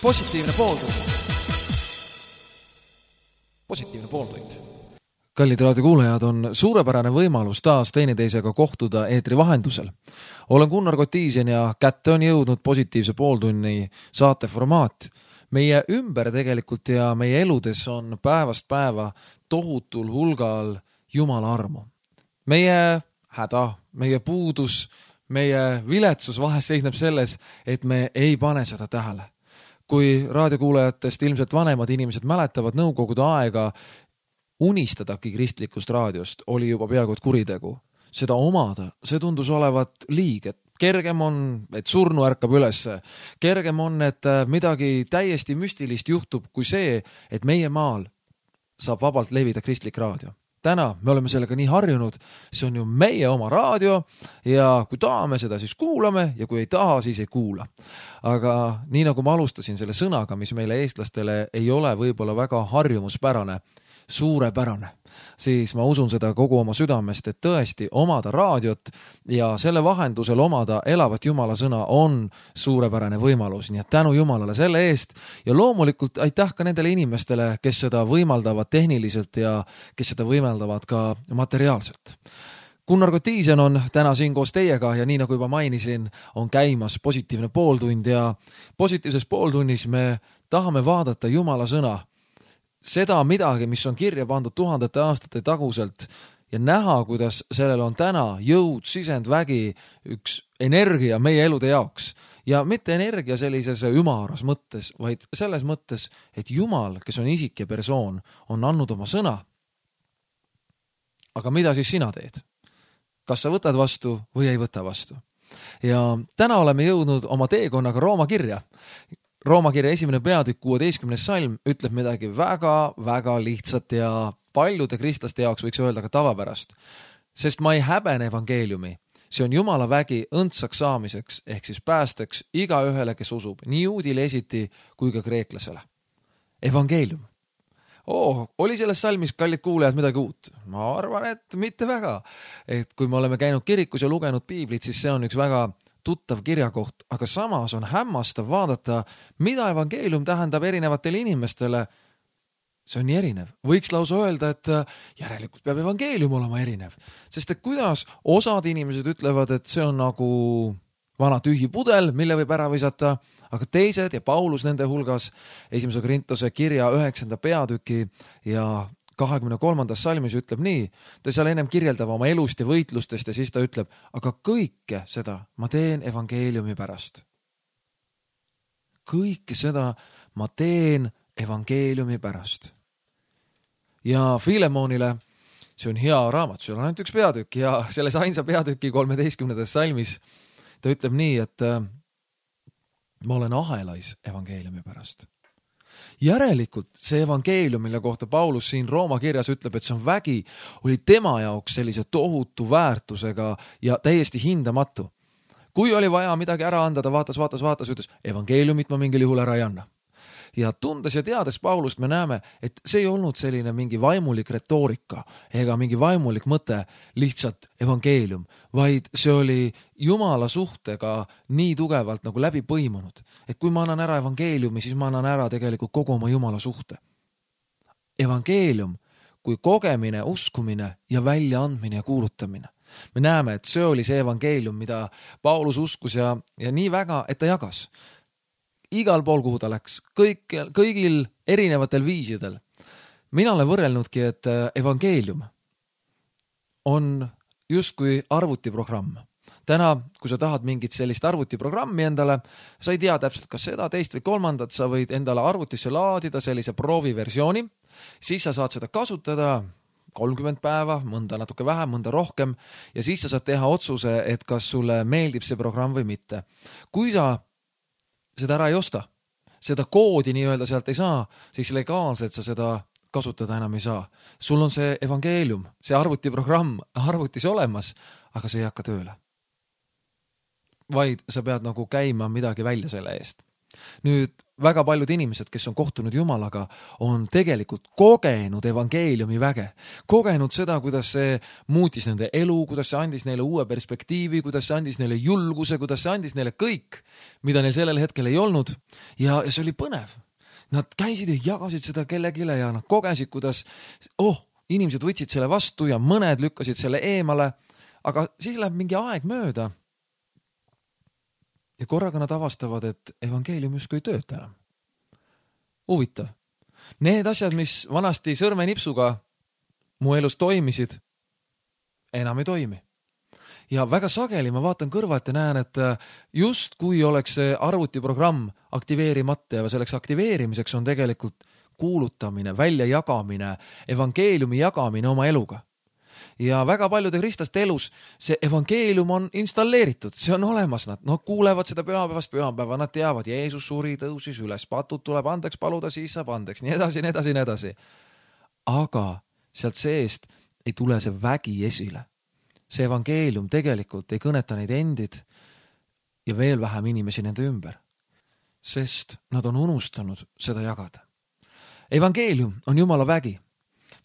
Positiivne pooltund. Kallid raadiokuulajad, on suurepärane võimalus taas teineteisega kohtuda eetri vahendusel. Olen Gunnar Kotiisen ja kätte on jõudnud Positiivse pooltunni saateformaat. Meie ümber tegelikult ja meie eludes on päevast päeva tohutul hulgal Jumala armu. Meie häda, meie puudus, meie viletsus vahest seisneb selles, et me ei pane seda tähele. Kui raadiokuulajatest ilmselt vanemad inimesed mäletavad nõukogude aega, unistadagi kristlikust raadiost oli juba peaaegu kuritegu. Seda omada, see tundus olevat liig, et kergem on, et surnu ärkab ülesse. Kergem on, et midagi täiesti müstilist juhtub kui see, et meie maal saab vabalt levida kristlik raadio. Täna me oleme sellega nii harjunud, see on ju meie oma raadio ja kui tahame seda, siis kuulame ja kui ei taha, siis ei kuula. Aga nii nagu ma alustasin selle sõnaga, mis meile eestlastele ei ole võib-olla väga harjumuspärane, suurepärane, siis ma usun seda kogu oma südamest, et tõesti omada raadiot ja selle vahendusel omada elavat Jumala sõna on suurepärane võimalus. Nii et tänu Jumalale selle eest ja loomulikult aitäh ka nendele inimestele, kes seda võimaldavad tehniliselt ja kes seda võimaldavad ka materiaalselt. Gunnar Kotiisen on täna siin koos teiega ja nii nagu juba mainisin, on käimas Positiivne pooltund ja positiivses pooltunnis me tahame vaadata Jumala sõna, seda midagi, mis on kirja pandud tuhandete aastate taguselt ja näha, kuidas sellel on täna jõud, sisendvägi, üks energia meie elude jaoks. Ja mitte energia sellises ümaras mõttes, vaid selles mõttes, et Jumal, kes on isik ja persoon, on andnud oma sõna. Aga mida siis sina teed? Kas sa võtad vastu või ei võta vastu? Ja täna oleme jõudnud oma teekonnaga Rooma kirja. Rooma kirja 1. peatükk 16. salm ütleb midagi väga lihtsat ja paljude kristlaste jaoks võiks öelda ka tavapärast. Sest ma ei häbene evangeeliumi. See on Jumala vägi õndsaks saamiseks ehk siis päästeks iga ühele, kes usub, nii juudile esiti kui ka kreeklasele. Evangeelium. Oli selles salmis, kallid kuulajad, midagi uut? Ma arvan, et mitte väga. Et kui me oleme käinud kirikus ja lugenud piiblit, siis see on üks väga tuttav kirjakoht, aga samas on hämmastav vaadata, mida evangeelium tähendab erinevatele inimestele. See on nii erinev. Võiks lausa öelda, et järelikult peab evangeelium olema erinev. Sest et kuidas osad inimesed ütlevad, et see on nagu vana tühi pudel, mille võib ära visata, aga teised ja Paulus nende hulgas 1. Korintuse kirja 9. peatüki ja 23. salmis ütleb nii, ta seal ennem kirjeldab oma elust ja võitlustest ja siis ta ütleb, aga kõike seda ma teen evangeeliumi pärast. Kõike seda ma teen evangeeliumi pärast. Ja Filemonile, see on hea raamat, see on ainult üks peatükk ja selles ainsa peatüki 13. salmis ta ütleb nii, et ma olen ahelais evangeeliumi pärast. Järelikult see evangeelium, mille kohta Paulus siin Rooma kirjas ütleb, et see on vägi, oli tema jaoks sellise tohutu väärtusega ja täiesti hindamatu. Kui oli vaja midagi ära anda, ta vaatas, ütles, evangeeliumit ma mingil juhul ära ei anna. Ja tundes ja teades Paulust me näeme, et see ei olnud selline mingi vaimulik retoorika ega mingi vaimulik mõte lihtsalt evangeelium, vaid see oli Jumala suhtega nii tugevalt nagu läbi põimunud. Et kui ma annan ära evangeeliumi, siis ma annan ära tegelikult kogu oma Jumala suhte. Evangeelium kui kogemine, uskumine ja väljaandmine ja kuulutamine. Me näeme, et see oli see evangeelium, mida Paulus uskus ja nii väga, et ta jagas. Igal pool, kuhu ta läks, kõigil erinevatel viisidel. Mina olen võrrelnudki, et evangeelium on justkui arvutiprogramm. Täna, kui sa tahad mingit sellist arvutiprogrammi endale, sa ei tea täpselt, kas seda, teist või kolmandat, sa võid endale arvutisse laadida sellise prooviversiooni, siis sa saad seda kasutada 30 päeva, mõnda natuke vähem, mõnda rohkem ja siis sa saad teha otsuse, et kas sulle meeldib see programm või mitte. Kui sa seda ära ei osta, seda koodi nii-öelda sealt ei saa, siis legaalselt sa seda kasutada enam ei saa. Sul on see evangeelium, see arvutiprogramm arvutis olemas, aga see ei hakka tööle. Vaid sa pead nagu käima midagi välja selle eest. Nüüd väga paljud inimesed, kes on kohtunud Jumalaga, on tegelikult kogenud evangeeliumi väge. Kogenud seda, kuidas see muutis nende elu, kuidas see andis neile uue perspektiivi, kuidas see andis neile julguse, kuidas see andis neile kõik, mida neil sellel hetkel ei olnud. Ja see oli põnev. Nad käisid ja jagasid seda kellegile ja nad kogesid, kuidas inimesed võtsid selle vastu ja mõned lükkasid selle eemale, aga siis läheb mingi aeg mööda. Ja korraga nad avastavad, et evangeelium justkui ei tööta enam. Huvitav. Need asjad, mis vanasti sõrmenipsuga mu elus toimisid, enam ei toimi. Ja väga sageli ma vaatan kõrvalt ja näen, et just kui oleks see arvutiprogramm aktiveerimata ja selleks aktiveerimiseks on tegelikult kuulutamine, väljajagamine, evangeeliumi jagamine oma eluga. Ja väga paljude kristlaste elus see evangeelium on installeeritud, see on olemas, nad kuulevad seda pühapäevast pühapäeva, nad teavad, Jeesus suri, tõusis üles, patud tuleb andeks paluda, siis saab andeks, nii edasi. Aga sealt seest ei tule see vägi esile. See evangeelium tegelikult ei kõneta neid endid ja veel vähem inimesi nende ümber, sest nad on unustanud seda jagada. Evangeelium on Jumala vägi.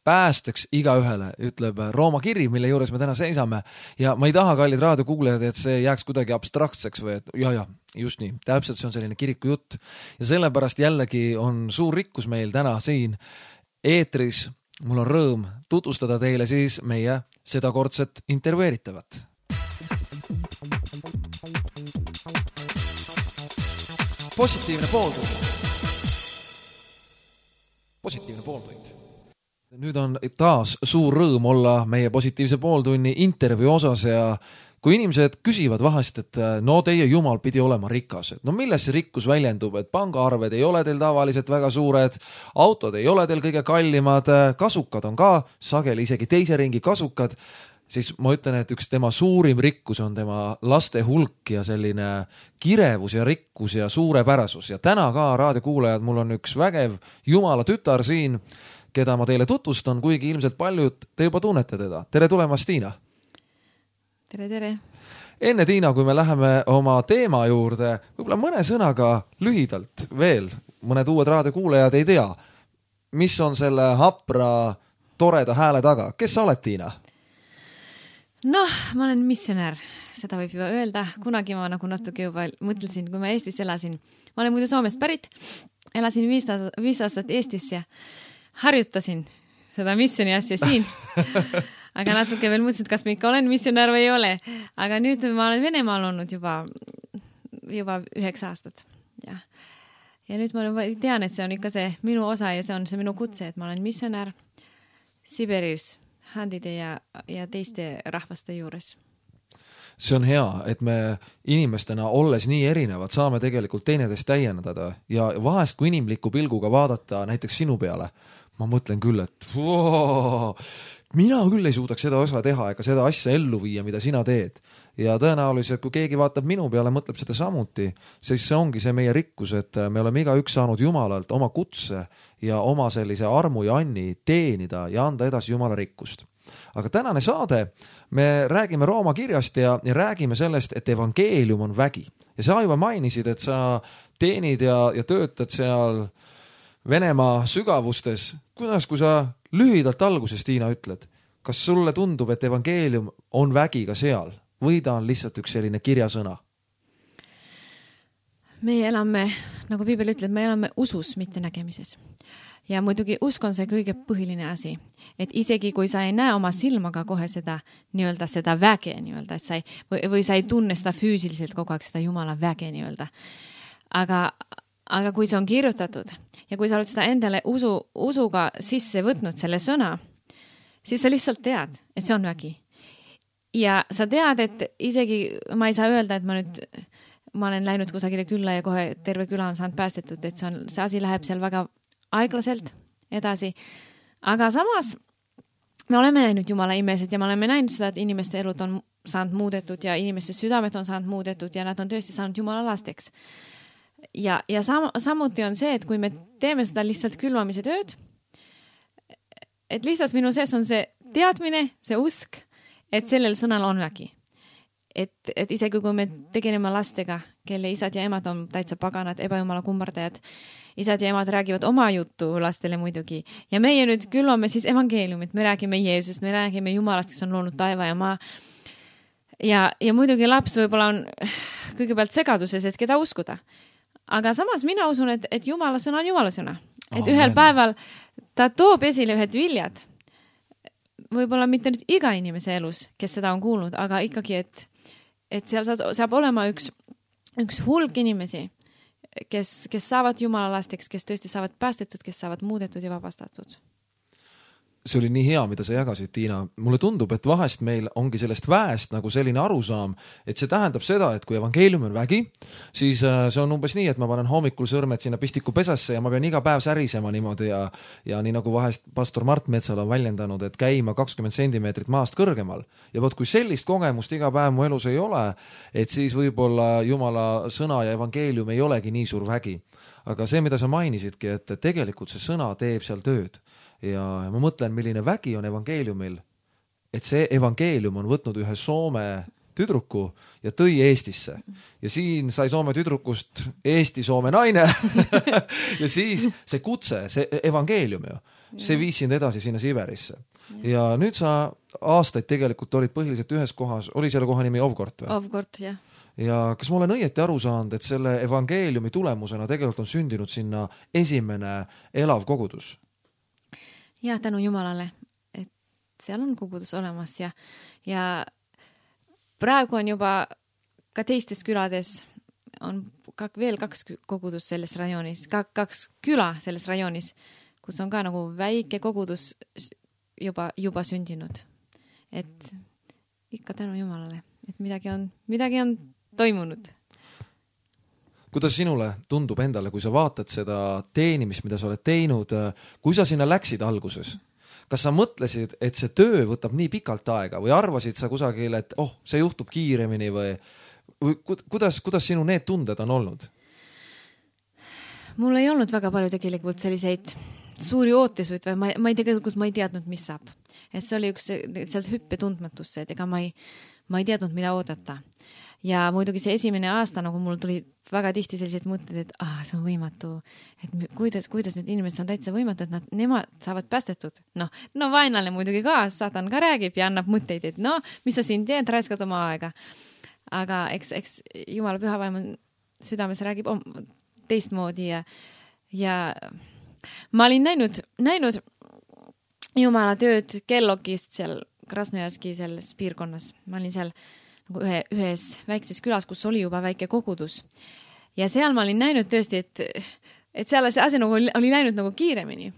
Päästeks igaühele, ütleb Rooma kiri, mille juures me täna seisame. Ja ma ei taha, kallid raadiokuulajad, et see jääks kuidagi abstraktseks või et ja, just nii. Täpselt see on selline kiriku jutt. Ja sellepärast jällegi on suur rikkus meil täna siin eetris. Mul on rõõm tutvustada teile siis meie sedakordset intervjueeritavat. Positiivne pooltund. Nüüd on taas suur rõõm olla meie positiivse pooltunni intervjuu osas ja kui inimesed küsivad vahest, et no teie Jumal pidi olema rikas, et no milles see rikkus väljendub, et pangaarved ei ole teil tavaliselt väga suured, autod ei ole teil kõige kallimad, kasukad on ka sageli isegi teise ringi kasukad, siis ma ütlen, et üks tema suurim rikkus on tema laste hulk ja selline kirevus ja rikkus ja suurepärasus. Ja täna ka raadiokuulajad, mul on üks vägev Jumala tütar siin, keda ma teile tutvustan, kuigi ilmselt paljud te juba tunnete teda. Tere tulemast, Tiina! Tere. Enne, Tiina, kui me läheme oma teema juurde, võib-olla mõne sõnaga lühidalt veel, mõned uued raadiokuulajad ei tea, mis on selle hapra, toreda hääle taga. Kes sa oled, Tiina? Noh, ma olen missionär, seda võib juba öelda. Kunagi ma nagu natuke juba mõtlesin, kui ma Eestis elasin. Ma olen muidu Soomest pärit, elasin 5 aastat Eestis ja harjutasin seda missioni asja siin. Aga natuke veel mõtlesin, kas ma ikka olen missionär või ei ole. Aga nüüd ma olen Venemaal olnud juba 9 aastat. Ja nüüd ma tean, et see on ikka see minu osa ja see on see minu kutse, et ma olen missionär Siberis handide ja teiste rahvaste juures. See on hea, et me inimestena olles nii erinevad, saame tegelikult teineteist täiendada ja vahest kui inimliku pilguga vaadata näiteks sinu peale, ma mõtlen küll, et mina küll ei suudaks seda osa teha ega seda asja ellu viia, mida sina teed. Ja tõenäoliselt, kui keegi vaatab minu peale, mõtleb seda samuti, siis see ongi see meie rikkus, et me oleme igaüks saanud Jumalalt oma kutse ja oma sellise armu ja anni teenida ja anda edasi Jumala rikkust. Aga tänane saade, me räägime Rooma kirjast ja räägime sellest, et evangeelium on vägi. Ja sa juba mainisid, et sa teenid ja töötad seal Venemaa sügavustes. Kuidas, kui sa lühidalt alguses, Tiina, ütled, kas sulle tundub, et evangeelium on vägi ka seal või ta on lihtsalt üks selline kirjasõna? Meie elame, nagu Piibel ütleb, me elame usus, mitte nägemises. Ja muidugi usk on see kõige põhiline asi, et isegi kui sa ei näe oma silmaga kohe seda väge, et või sa ei tunne seda füüsiliselt kogu aeg seda Jumala väge nii-öelda. Aga kui see on kirjutatud ja kui sa oled seda endale usuga sisse võtnud selle sõna, siis sa lihtsalt tead, et see on vägi. Ja sa tead, et isegi ma ei saa öelda, et ma olen läinud kusagile külla ja kohe terve küla on saanud päästetud, et see asi läheb seal väga aeglaselt edasi. Aga samas me oleme näinud Jumala imesid ja me oleme näinud seda, et inimeste elud on saanud muudetud ja inimeste südamed on saanud muudetud ja nad on tõesti saanud Jumala lasteks. Ja samuti on see, et kui me teeme seda lihtsalt külvamise tööd, et lihtsalt minu sees on see teadmine, see usk, et sellel sõnal on vägi. et isegi kui me tegeleme lastega, kelle isad ja emad on täitsa paganad, ebajumala kummardajad, isad ja emad räägivad oma juttu lastele muidugi ja meie nüüd külvame siis evangeeliumit, me räägime Jeesusest, me räägime Jumalast, kes on loonud taeva ja maa ja muidugi laps võib-olla on kõigepealt segaduses, et keda uskuda. Aga samas mina usun, et Jumala sõna on Jumala sõna. Et ühel päeval ta toob esile ühed viljad. Võib-olla mitte nüüd iga inimese elus, kes seda on kuulnud, aga ikkagi, et seal saab olema üks hulk inimesi, kes saavad Jumala lasteks, kes tõesti saavad päästetud, kes saavad muudetud ja vabastatud. See oli nii hea, mida sa jagasid, Tiina. Mulle tundub, et vahest meil ongi sellest väest nagu selline arusaam, et see tähendab seda, et kui evangeelium on vägi, siis see on umbes nii, et ma panen hommikul sõrmed sinna pistiku pesasse ja ma pean iga päev särisema niimoodi ja nii nagu vahest pastor Mart Metsal on väljendanud, et käima 20 sentimeetrit maast kõrgemal. Ja võt, kui sellist kogemust iga päev mu elus ei ole, et siis võib-olla Jumala sõna ja evangeelium ei olegi nii suur vägi. Aga see, mida sa mainisidki, et tegelikult see sõna teeb seal tööd. Ja ma mõtlen, milline vägi on evangeeliumil, et see evangeelium on võtnud ühe Soome tüdruku ja tõi Eestisse. Ja siin sai Soome tüdrukust Eesti-Soome naine ja siis see kutse, see evangeelium ju, see viis sind edasi sinna Siberisse. Ja nüüd sa aastaid tegelikult olid põhiliselt ühes kohas, oli selle koha nimi Ovgort või? Ovgort, jah. Ja kas ma olen õieti aru saanud, et selle evangeeliumi tulemusena tegelikult on sündinud sinna esimene elav kogudus? Ja tänu Jumalale, et seal on kogudus olemas ja praegu on juba ka teistes külades on veel 2 kogudus selles rajoonis, 2 küla selles rajoonis, kus on ka nagu väike kogudus juba sündinud. Et ikka tänu Jumalale, et midagi on toimunud. Kuidas sinule tundub endale, kui sa vaatad seda teenimist, mida sa oled teinud, kui sa sinna läksid alguses? Kas sa mõtlesid, et see töö võtab nii pikalt aega või arvasid sa kusagil, et see juhtub kiiremini või kuidas sinu need tunded on olnud? Mul ei olnud väga palju tegelikult selliseid suuri ootesuid või ma ei teadnud, mis saab. Et see oli üks sealt hüppe tundmatusse, et ega ma ei teadnud, mida oodata. Ja muidugi see esimene aasta, nagu mul tuli väga tihti sellised mõtted, et see on võimatu, et kuidas need inimesed on täitsa võimatu, et nemad saavad päästetud. No vaenlane muidugi ka, saatan ka räägib ja annab mõtteid, et mis sa siin teed, raiskad oma aega. Aga eks Jumala püha vaim südames räägib teistmoodi ja ma olin näinud Jumala tööd Kellogist seal Krasnojarski selles piirkonnas. Ma olin seal nagu ühes väikses külas, kus oli juba väike kogudus. Ja seal ma olin näinud tõesti, et seal see asi nagu oli läinud nagu kiiremini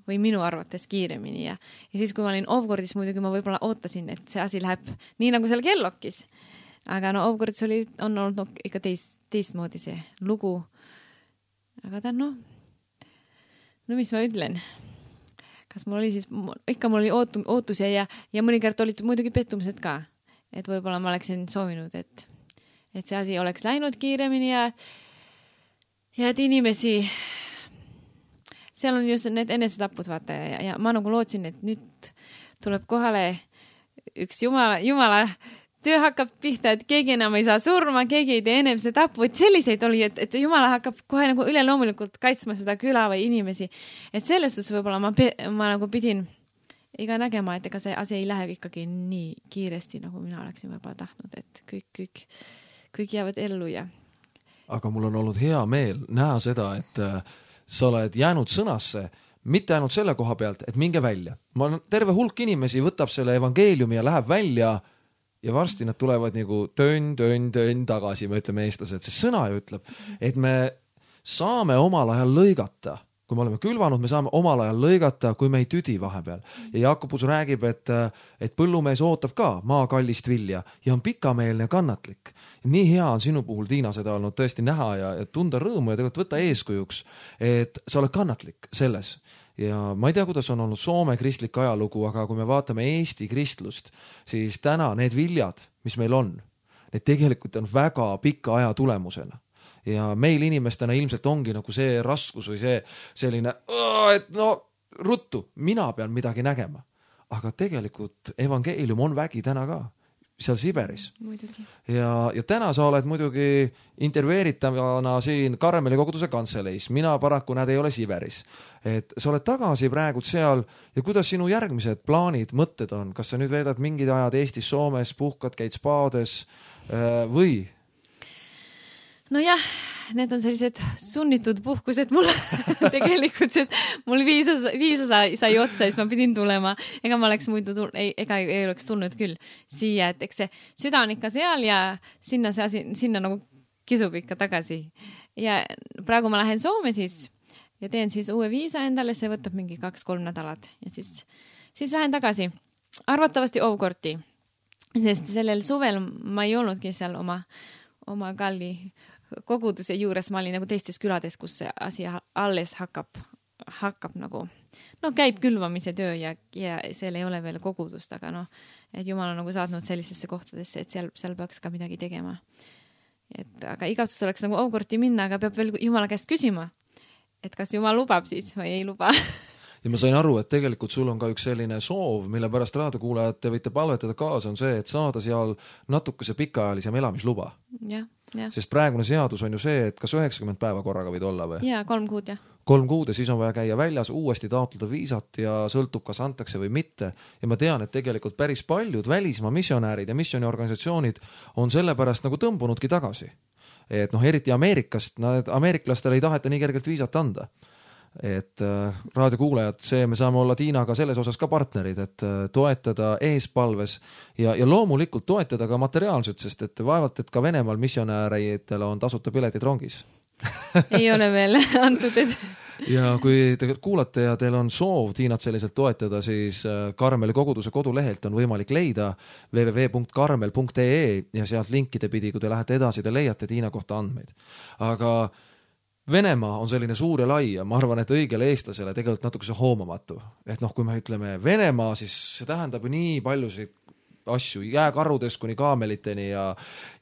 või minu arvates kiiremini. Ja siis, kui ma olin Ovgordis, muidugi ma võib-olla ootasin, et see asi läheb nii nagu seal Kellogis. Aga Ovgordis on olnud ikka teistmoodi see lugu. Aga ta mis ma ütlen? Kas mul oli siis, ikka mul oli ootusi ja mõnikord olid muidugi pettumised ka. Et võib-olla ma oleksin soovinud, et see asi oleks läinud kiiremini ja et inimesi, seal on just need enesetapud, vaata, ja ma nagu lootsin, et nüüd tuleb kohale üks Jumala töö hakkab pihta, et keegi enam ei saa surma, keegi ei tee enesetappu, et selliseid oli, et Jumala hakkab kohe nagu üleloomulikult kaitsma seda küla või inimesi. Et selles suhtes võib-olla ma nagu pidin iga nägema, et ega see asi ei lähe ikkagi nii kiiresti, nagu mina oleksin võib-olla tahtnud, et kõik jäävad ellu ja... Aga mul on olnud hea meel näha seda, et sa oled jäänud sõnasse, mitte ainult selle koha pealt, et minge välja. Terve hulk inimesi võtab selle evangeeliumi ja läheb välja ja varsti nad tulevad nagu tönn tagasi, me ütleme eestlased. See sõna ju ütleb, et me saame omal ajal lõigata. Kui me oleme külvanud, me saame omal ajal lõigata, kui me ei tüdi vahepeal. Ja Jakobus räägib, et põllumees ootab ka maakallist vilja ja on pikameelne ja kannatlik. Nii hea on sinu puhul, Tiina, seda olnud tõesti näha ja tunda rõõmu ja tegelikult võtta eeskujuks, et sa oled kannatlik selles. Ja ma ei tea, kuidas on olnud Soome kristlik ajalugu, aga kui me vaatame Eesti kristlust, siis täna need viljad, mis meil on, need tegelikult on väga pika aja tulemusena. Ja meil inimestena ilmselt ongi nagu see raskus või see selline, et ruttu, mina pean midagi nägema. Aga tegelikult evangeelium on vägi täna ka. seal Siberis. Muidugi. Ja täna sa oled muidugi intervjueeritavana siin Karmeli koguduse kantseleis. Mina paraku näed ei ole Siberis. Et sa oled tagasi praegu seal ja kuidas sinu järgmised plaanid, mõtted on? Kas sa nüüd veedad mingid ajad Eestis, Soomes, puhkad, käid spaades või? No jah, need on sellised sunnitud puhkused mul tegelikult, sest mul viisa sai otsa, siis ma pidin tulema. Ega ma oleks muidu ega ei oleks tulnud küll siia, et eks see süda on ikka seal ja sinna nagu kisub ikka tagasi. Ja praegu ma lähen Soome siis ja teen siis uue viisa endale, see võtab mingi 2-3 nädalat ja siis lähen tagasi. Arvatavasti Ovkorti, sest sellel suvel ma ei olnudki seal oma kalli koguduse juures, ma olin nagu teistes külades, kus see asi alles hakkab nagu, käib külvamise töö ja seal ei ole veel kogudust, aga et Jumal on nagu saatnud sellisesse kohtadesse, et seal peaks ka midagi tegema. Aga igatsus oleks nagu Ovkorti minna, aga peab veel Jumala käest küsima, et kas Jumal lubab siis või ei luba. Ja ma sain aru, et tegelikult sul on ka üks selline soov, mille pärast raadiokuulajad te võite palvetada kaasa, on see, et saada seal natukese pikaajalisem elamisluba. Ja. Sest praegune seadus on ju see, et kas 90 päeva korraga võid olla või? Jaa, 3 kuud, jah. 3 kuud ja siis on vaja käia väljas, uuesti taotleda viisat ja sõltub, kas antakse või mitte. Ja ma tean, et tegelikult päris paljud välismaa missionäärid ja missioniorganisatsioonid on sellepärast nagu tõmbunudki tagasi. Et eriti Ameerikast, ameeriklastele ei taheta nii kergelt viisat anda. Et raadiokuulajad, me saame olla Tiinaga selles osas ka partnerid, et toetada eespalves ja loomulikult toetada ka materiaalselt, sest et vaevalt, et ka Venemaal missionääridele on tasuta piletid rongis. Ei ole veel antud, et... Ja kui te kuulate ja teil on soov Tiinat selliselt toetada, siis Karmeli koguduse kodulehelt on võimalik leida www.karmel.ee ja sealt linkide pidi, kui te lähete edasi, te leiate Tiina kohta andmeid. Aga Venemaa on selline suur ja lai ja ma arvan, et õigele eestlasele tegelikult natuke see hoomamatu. Et kui me ütleme Venemaa, siis see tähendab nii paljusid asju, jääkarudest kuni kaameliteni ja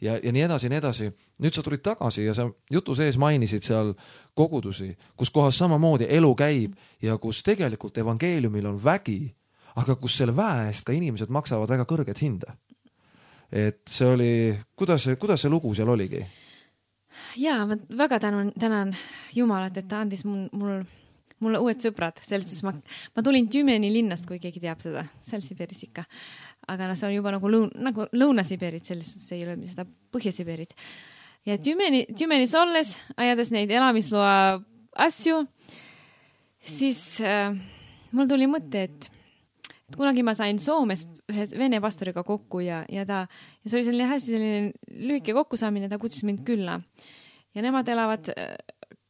nii edasi, nii edasi. Nüüd sa tulid tagasi ja sa jutu sees mainisid seal kogudusi, kus kohas samamoodi elu käib ja kus tegelikult evangeeliumil on vägi, aga kus selle väe eest ka inimesed maksavad väga kõrget hinda. Et see oli, kuidas see lugu seal oligi? Jaa, ma väga tänan Jumalat, et ta andis mulle uued sõbrad. Selles ma tulin Tümeni linnast, kui keegi teab seda, seal Siberis ikka. Aga see on juba nagu Lõuna-Siberit, selles suhtes ei ole seda Põhja-Siberit. Ja Tümenis olles, ajades neid elamisloa asju, siis mul tuli mõte, et kunagi ma sain Soomes ühe vene pastoriga kokku ja see oli selline hästi lühike kokkusaamine, ta kutsus mind külla. Ja nemad elavad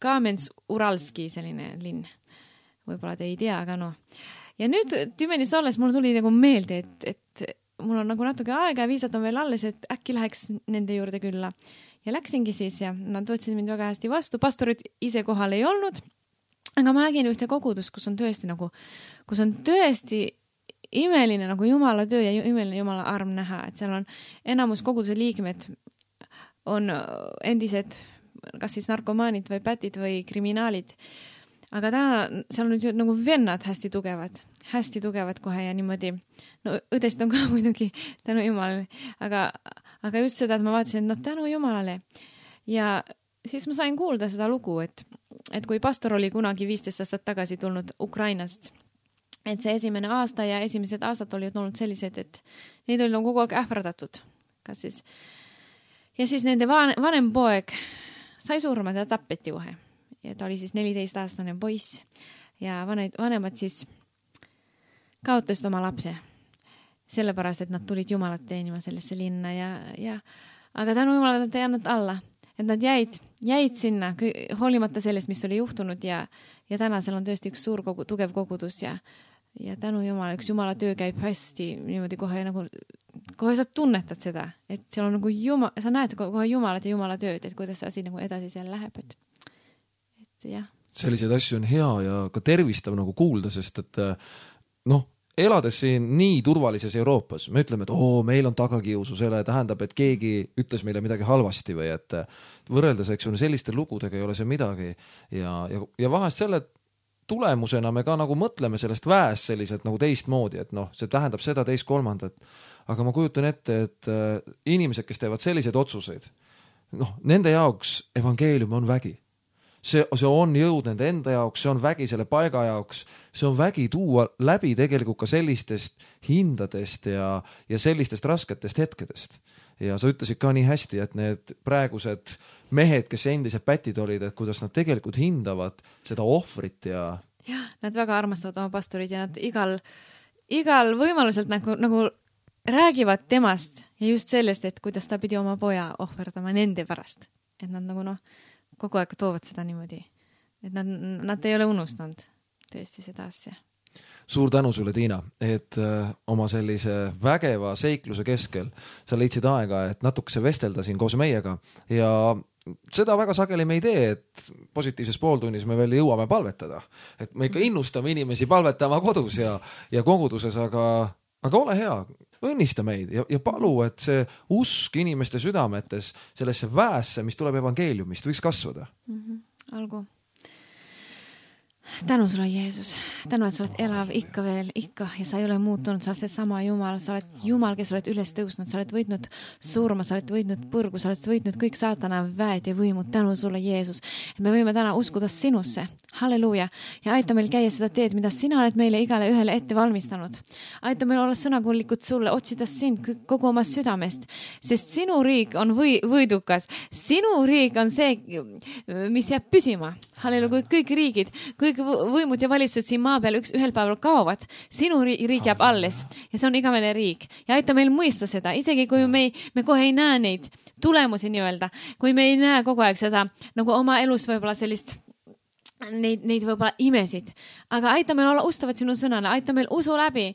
Kamens-Uralski selline linn. Võib-olla te ei tea, aga Ja nüüd Tümenis olles mul tuli nagu meelde, et mul on nagu natuke aega ja viisat on veel alles, et äkki läheks nende juurde külla. Ja läksingi siis ja nad võtsid mind väga hästi vastu. Pastorid ise kohal ei olnud, aga ma nägin ühte kogudust, kus on tõesti imeline nagu Jumala töö ja imeline Jumala arm näha, et seal on enamus koguduse liikmed on endised kas siis narkomaanid või pätid või kriminaalid. Aga täna seal on nüüd nagu vennad hästi tugevad kohe ja niimoodi. Õdest on ka muidugi tänu Jumalale, aga just seda, et ma vaatasin, et tänu Jumalale. Ja siis ma sain kuulda seda lugu, et kui pastor oli kunagi 15 aastat tagasi tulnud Ukrainast, et see esimene aasta ja esimesed aastad olid olnud sellised, et neid oli kogu aeg ähvardatud. Ja siis nende vanem poeg sai surma, ta tappeti kohe. Ja ta oli siis 14-aastane poiss ja vanemad siis kaotasid oma lapse. Sellepärast, et nad tulid Jumalat teenima sellesse linna aga tänu Jumalale nad ei andnud alla. Et nad jäid sinna, hoolimata sellest, mis oli juhtunud ja täna seal on tõesti üks suur tugev kogudus ja tänu Jumala, üks Jumala töö käib hästi niimoodi kohe sa tunnetad seda, et seal on nagu sa näed kohe Jumalat ja Jumala tööd, et kuidas see asi nagu edasi seal läheb, et jah. Selliseid asju on hea ja ka tervistav nagu kuulda, sest et elades siin nii turvalises Euroopas, me ütleme, et meil on tagakiusu, selle tähendab, et keegi ütles meile midagi halvasti või et võrreldes, eks on selliste lugudega ei ole see midagi ja vahest selle tulemusena me ka nagu mõtleme sellest väest selliselt nagu teistmoodi, et see tähendab seda teist kolmandat. aga ma kujutan ette, et inimesed, kes teevad selliseid otsuseid, nende jaoks evangeelium on vägi. See on jõud nende enda jaoks, see on vägi selle paiga jaoks, see on vägi tuua läbi tegelikult ka sellistest hindadest ja sellistest rasketest hetkedest. Ja sa ütlesid ka nii hästi, et need praegused mehed, kes endised pätid olid, et kuidas nad tegelikult hindavad seda ohvrit ja... Jah, nad väga armastavad oma pastorid ja nad igal võimaluselt nagu räägivad temast ja just sellest, et kuidas ta pidi oma poja ohverdama nende pärast. Et nad nagu kogu aeg toovad seda niimoodi, et nad ei ole unustanud tõesti seda asja. Suur tänu sulle, Tiina, et oma sellise vägeva seikluse keskel sa leidsid aega, et natukese vestelda siin koos meiega ja seda väga sageli me ei tee, et positiivses pooltunnis me veel jõuame palvetada. Et me ikka innustame inimesi palvetama kodus ja koguduses, aga ole hea, õnnista meid ja palu, et see usk inimeste südametes sellesse väesse, mis tuleb evangeeliumist, võiks kasvada. Olgu. Tänu sulle, Jeesus. Tänu, et sa oled elav ikka veel, ikka, ja sa ei ole muutunud, sa oled see sama Jumal, sa oled Jumal, kes oled üles tõusnud, sa oled võitnud surma, sa oled võitnud põrgu, sa oled võitnud kõik saatana väed ja võimud. Tänu sulle, Jeesus, et me võime täna uskuda sinusse. Halleluuja. Ja aita meil käia seda teed, mida sina oled meile igale ühele ette valmistanud. Aita meil olla sõnakuullikud sulle, otsida sind kogu oma südamest, sest sinu riik on võidukas. Sinu riik on see, mis jääb püsima. Halleluja, kui kõik riigid, kõik võimud ja valitsused siin maa peal ühel päeval kaovad, sinu riik jääb alles ja see on igavene riik. Ja aita meil mõista seda, isegi kui me kohe ei näe neid tulemusi nii-öelda, kui me ei näe kogu aeg seda nagu oma elus võib-olla sellist neid võib-olla imesid, aga aita meil olla ustavad sinu sõnale, aita meil usu läbi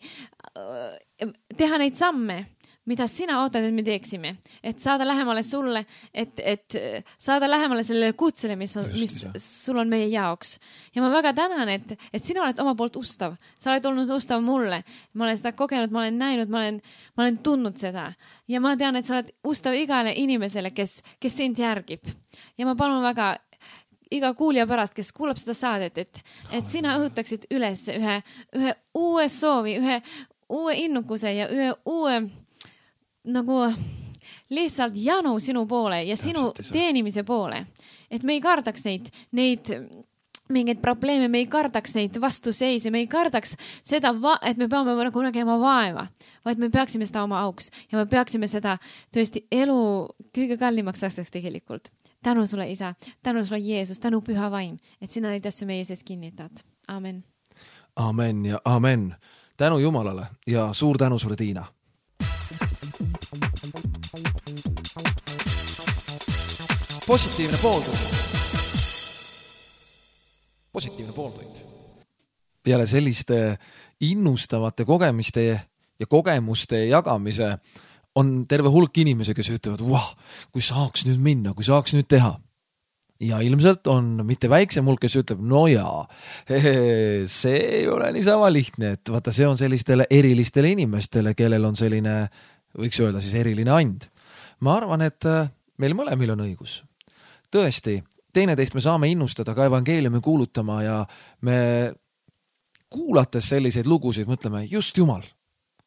teha neid samme, mida sina ootad, et me teeksime, et saada lähemale sulle, et saada lähemale sellele kutsele, mis sul on meie jaoks. Ja ma väga tänan, et sina oled oma poolt ustav. Sa oled olnud ustav mulle. Ma olen seda kogenud, ma olen näinud, ma olen tundnud seda. Ja ma tean, et sa oled ustav igale inimesele, kes sind järgib. Ja ma palun väga iga kuulja pärast, kes kuulab seda saadet, et sina õhutaksid üles ühe uue soovi, ühe uue innukuse ja ühe uue nagu lihtsalt janu sinu poole ja sinu teenimise poole. Et me ei kardaks neid mingeid probleeme, me ei kardaks neid vastuseise, me ei kardaks seda, et me peame nagu nägema vaeva, vaid me peaksime seda oma auks ja me peaksime seda tõesti elu kõige kallimaks asjaks tegelikult. Tänu sulle, Isa, tänu sulle, Jeesus, tänu Püha Vaim, et sina neid asju meie sees kinnitad. Amen. Amen ja amen. Tänu Jumalale ja suur tänu sulle, Tiina. Positiivne pooltund. Peale selliste innustavate kogemiste ja kogemuste jagamise on terve hulk inimesi, kes ütlevad, kui saaks nüüd minna, kui saaks nüüd teha. Ja ilmselt on mitte väiksem hulk, kes ütleb, no jaa, see ei ole niisama lihtne, et vaata, see on sellistele erilistele inimestele, kellel on selline, võiks öelda siis eriline and. Ma arvan, et meil mõlemil on õigus. Tõesti, teineteist me saame innustada ka evangeeliumi kuulutama ja me kuulates selliseid lugusid mõtleme, just Jumal,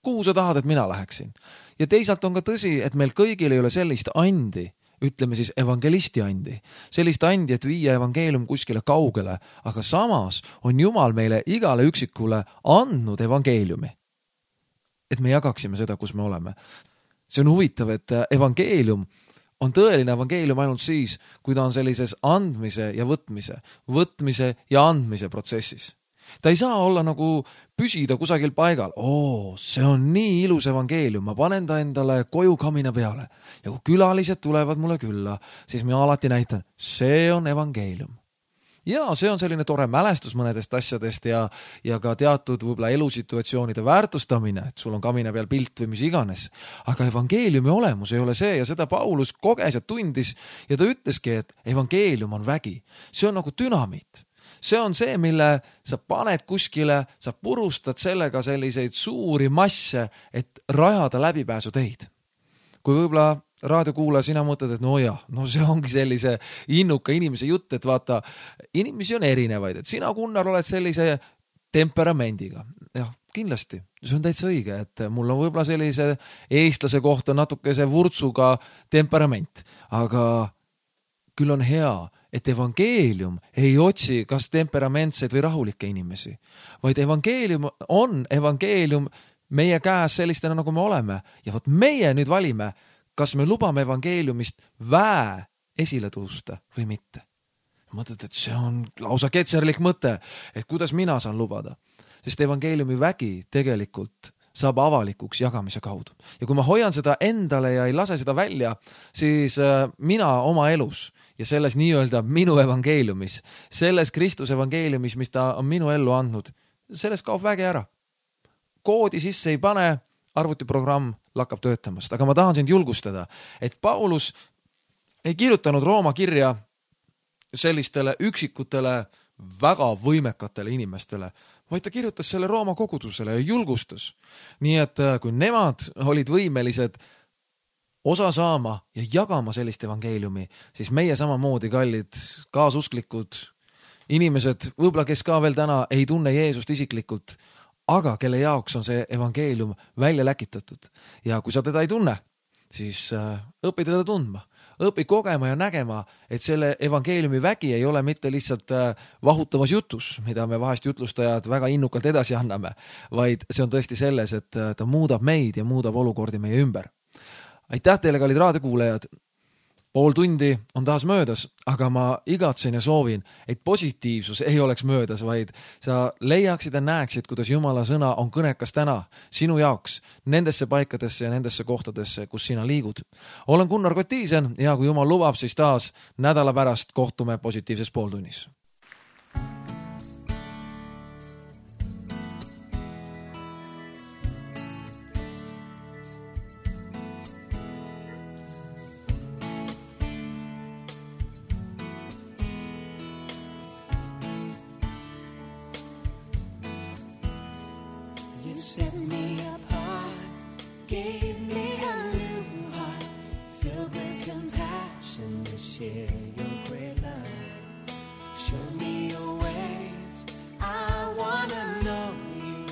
kuhu sa tahad, et mina läheksin? Ja teisalt on ka tõsi, et meil kõigil ei ole sellist andi, ütleme siis evangelisti andi, sellist andi, et viia evangeelium kuskile kaugele, aga samas on Jumal meile igale üksikule andnud evangeeliumi, et me jagaksime seda, kus me oleme. See on huvitav, et evangeelium on tõeline evangeelium ainult siis, kui ta on sellises andmise ja võtmise ja andmise protsessis. Ta ei saa olla nagu püsida kusagil paigal. See on nii ilus evangeelium, ma panen ta endale koju kamina peale. Ja kui külalised tulevad mulle külla, siis ma alati näitan, see on evangeelium. Ja see on selline tore mälestus mõnedest asjadest ja ka teatud võib-olla elusituatsioonide väärtustamine, et sul on kamina peal pilt või mis iganes. Aga evangeeliumi olemus ei ole see ja seda Paulus koges ja tundis ja ta ütleski, et evangeelium on vägi. See on nagu dünamiit. See on see, mille sa paned kuskile, sa purustad sellega selliseid suuri masse, et rajada läbipääsuteid. Kui võib-olla raadiokuulaja, sina mõtled, et see ongi sellise innuka inimese jutt, et vaata, inimesi on erinevaid, et sina, Gunnar, oled sellise temperamendiga. kindlasti, see on täitsa õige, et mul on võib-olla sellise eestlase kohta natukese vurtsuga temperament, aga küll on hea, et evangeelium ei otsi kas temperamentseid või rahulikke inimesi, vaid evangeelium on evangeelium meie käes sellistena, nagu me oleme. Ja võt meie nüüd valime, kas me lubame evangeeliumist väe esile tõusta või mitte. Mõtled, et see on lausa ketserlik mõte, et kuidas mina saan lubada. Sest evangeeliumi vägi tegelikult saab avalikuks jagamise kaudu. Ja kui ma hoian seda endale ja ei lase seda välja, siis mina oma elus ja selles nii-öelda minu evangeeliumis, selles Kristus evangeeliumis, mis ta on minu ellu andnud, selles kaob vägi ära. Koodi sisse ei pane, arvutiprogramm lakkab töötamast. Aga ma tahan sind julgustada, et Paulus ei kirjutanud Rooma kirja sellistele üksikutele väga võimekatele inimestele, vaid ta kirjutas selle Rooma kogudusele ja julgustas. Nii et kui nemad olid võimelised osa saama ja jagama sellist evangeeliumi, siis meie samamoodi kallid kaasusklikud inimesed, võib-olla kes ka veel täna ei tunne Jeesust isiklikult, aga kelle jaoks on see evangeelium välja läkitatud. Ja kui sa teda ei tunne, siis õpi teda tundma. Õpi kogema ja nägema, et selle evangeeliumi vägi ei ole mitte lihtsalt vahutavas jutus, mida me vahest jutlustajad väga innukalt edasi anname, vaid see on tõesti selles, et ta muudab meid ja muudab olukordi meie ümber. Aitäh teile, kallid raadiokuulajad! Pool tundi on taas möödas, aga ma igatsen ja soovin, et positiivsus ei oleks möödas, vaid sa leiaksid ja näeksid, kuidas Jumala sõna on kõnekas täna sinu jaoks nendesse paikadesse ja nendesse kohtadesse, kus sina liigud. Olen Gunnar Kotiisen ja kui Jumal lubab, siis taas nädala pärast kohtume positiivses pooltunnis. Set me apart, gave me a new heart, filled with compassion to share your great love. Show me your ways, I wanna know you.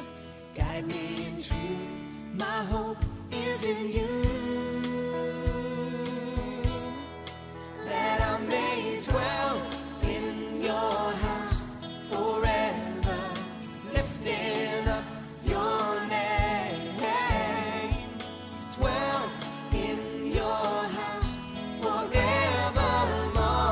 Guide me in truth, my hope is in you. That I may dwell in your house forever, lifting up your name, dwell in your house forevermore.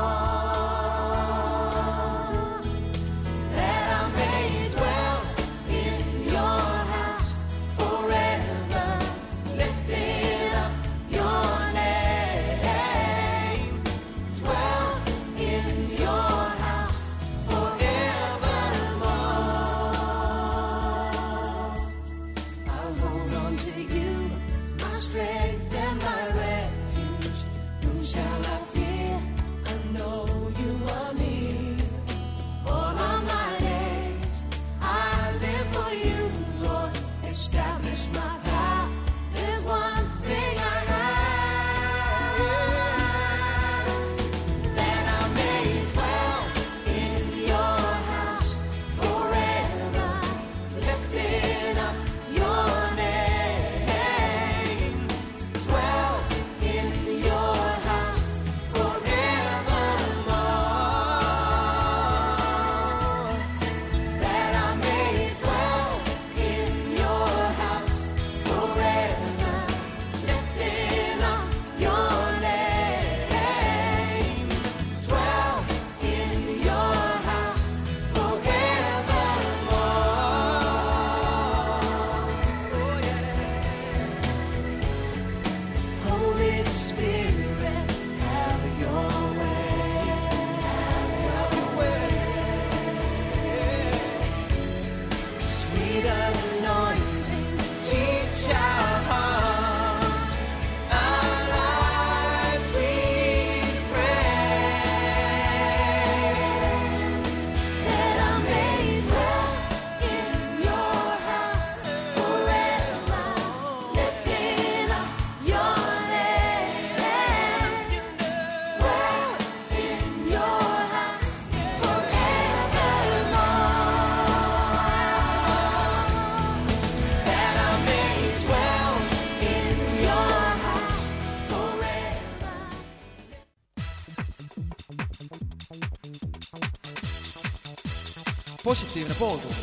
positiivne pooltund.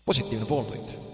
positiivne pooltund